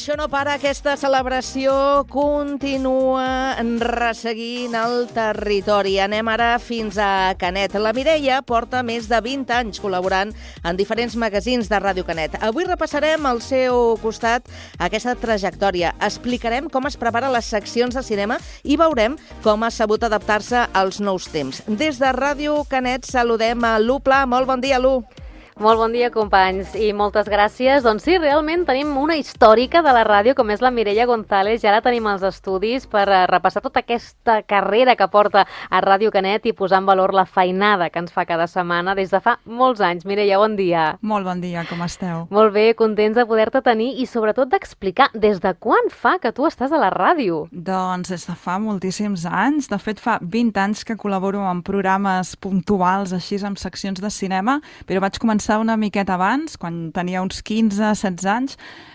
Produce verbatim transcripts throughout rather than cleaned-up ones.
Això no para, aquesta celebració continua resseguint el territori. Anem ara fins a Canet. La Mireia porta més de vint anys col·laborant en diferents magazins de Ràdio Canet. Avui repassarem al seu costat aquesta trajectòria. Explicarem com es prepara les seccions de cinema i veurem com ha sabut adaptar-se als nous temps. Des de Ràdio Canet saludem a Lu Pla. Molt bon dia, Lu. Molt bon dia, companys, i moltes gràcies. Doncs sí, realment tenim una històrica de la ràdio, com és la Mireia González. Ja la tenim als estudis per repassar tota aquesta carrera que porta a Ràdio Canet i posar en valor la feinada que ens fa cada setmana des de fa molts anys. Mireia, bon dia. Molt bon dia, com esteu? Molt bé, contents de poder-te tenir i sobretot d'explicar des de quan fa que tu estàs a la ràdio. Doncs des de fa moltíssims anys. De fet, fa vint anys que col·laboro en programes puntuals, així, amb seccions de cinema, però vaig començar una miqueta abans, quan tenia uns quinze setze anys,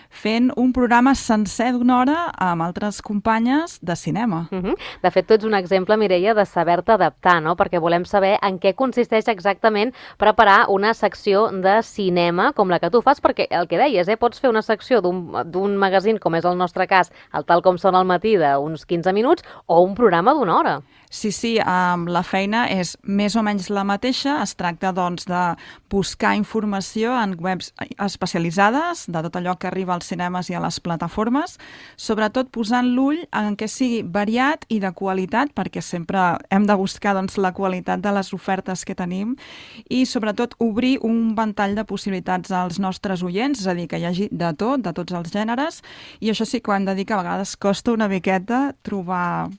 fent un programa sencer d'una hora amb altres companyes de cinema. Uh-huh. De fet, tu ets un exemple, Mireia, de saber-te adaptar, no? Perquè volem saber en què consisteix exactament preparar una secció de cinema com la que tu fas, perquè el que deies, eh, pots fer una secció d'un magazín, com és el nostre cas, el Tal com sona al matí, d'uns quinze minuts, o un programa d'una hora. Sí, sí, um, la feina és més o menys la mateixa. Es tracta, doncs, de buscar informació en webs especialitzades de tot allò que arriba als cinemes i a les plataformes, sobretot posant l'ull en què sigui variat i de qualitat, perquè sempre hem de buscar, doncs, la qualitat de les ofertes que tenim i, sobretot, obrir un ventall de possibilitats als nostres oients, és a dir, que hi hagi de tot, de tots els gèneres, i això sí que ho hem de dir que a vegades costa una miqueta trobar...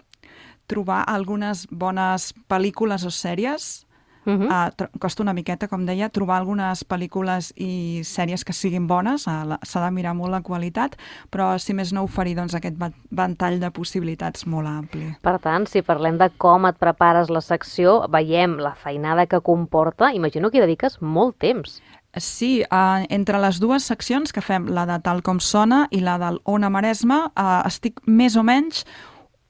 trobar algunes bones pel·lícules o sèries. Uh-huh. uh, costa una miqueta, com deia, trobar algunes pel·lícules i sèries que siguin bones, uh, s'ha de mirar molt la qualitat, però si més no oferir, doncs, aquest ventall de possibilitats molt ampli. Per tant, si parlem de com et prepares la secció, veiem la feinada que comporta, imagino que hi dediques molt temps. Sí, uh, entre les dues seccions que fem, la de Tal com sona i la del Ona Maresme, uh, estic més o menys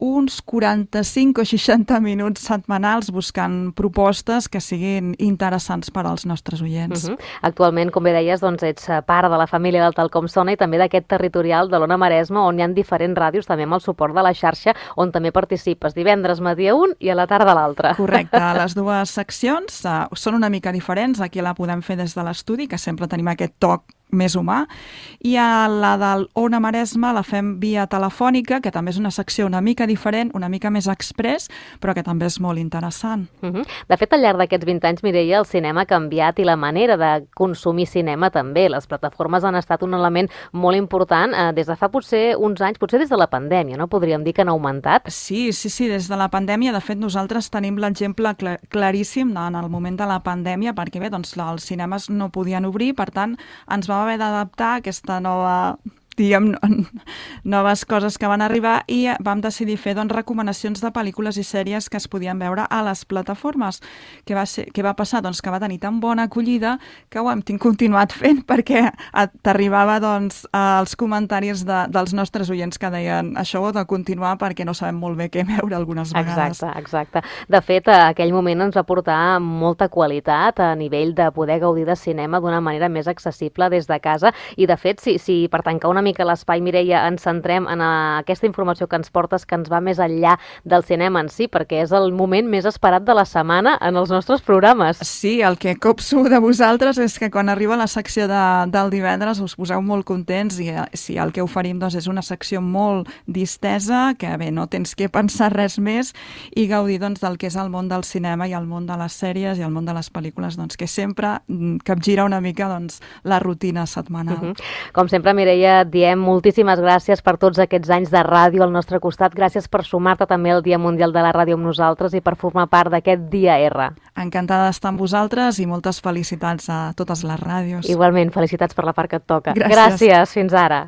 uns quaranta-cinc o seixanta minuts setmanals buscant propostes que siguin interessants per als nostres oients. Uh-huh. Actualment, com bé deies, doncs ets part de la família del Tal com sona i també d'aquest territorial de l'Ona Maresme, on hi ha diferents ràdios, també amb el suport de la xarxa, on també participes divendres matí a un i a la tarda a l'altre. Correcte. Les dues seccions uh, són una mica diferents. Aquí la podem fer des de l'estudi, que sempre tenim aquest toc més humà, i a la del Ona Maresme la fem via telefònica, que també és una secció una mica diferent, una mica més express, però que també és molt interessant. Uh-huh. De fet, al llarg d'aquests vint anys, Mireia, el cinema ha canviat i la manera de consumir cinema també. Les plataformes han estat un element molt important eh, des de fa potser uns anys, potser des de la pandèmia, no? Podríem dir que han augmentat? Sí, sí, sí, des de la pandèmia. De fet, nosaltres tenim l'exemple clar, claríssim en el moment de la pandèmia, perquè bé, doncs, els cinemes no podien obrir, per tant, ens va haver d'adaptar aquesta nova, diguem, noves coses que van arribar i vam decidir fer, doncs, recomanacions de pel·lícules i sèries que es podien veure a les plataformes. Què va, ser, què va passar? Doncs que va tenir tan bona acollida que ho hem continuat fent, perquè t'arribava, doncs, els comentaris de, dels nostres oients que deien això ho he de continuar perquè no sabem molt bé què veure algunes vegades. Exacte, exacte. De fet, aquell moment ens va portar molta qualitat a nivell de poder gaudir de cinema d'una manera més accessible des de casa i, de fet, si, si per tancar una mica l'espai, Mireia, ens centrem en aquesta informació que ens portes, que ens va més enllà del cinema en si, perquè és el moment més esperat de la setmana en els nostres programes. Sí, el que copso de vosaltres és que quan arriba la secció de, del divendres us poseu molt contents i si el que oferim, doncs, és una secció molt distesa, que bé, no tens que pensar res més i gaudir, doncs, del que és el món del cinema i el món de les sèries i el món de les pel·lícules, doncs, que sempre capgira una mica, doncs, la rutina setmanal. Uh-huh. Com sempre, Mireia, diem moltíssimes gràcies per tots aquests anys de ràdio al nostre costat. Gràcies per sumar-te també al Dia Mundial de la Ràdio amb nosaltres i per formar part d'aquest Dia R. Encantada d'estar amb vosaltres i moltes felicitats a totes les ràdios. Igualment, felicitats per la part que et toca. Gràcies. Gràcies, fins ara.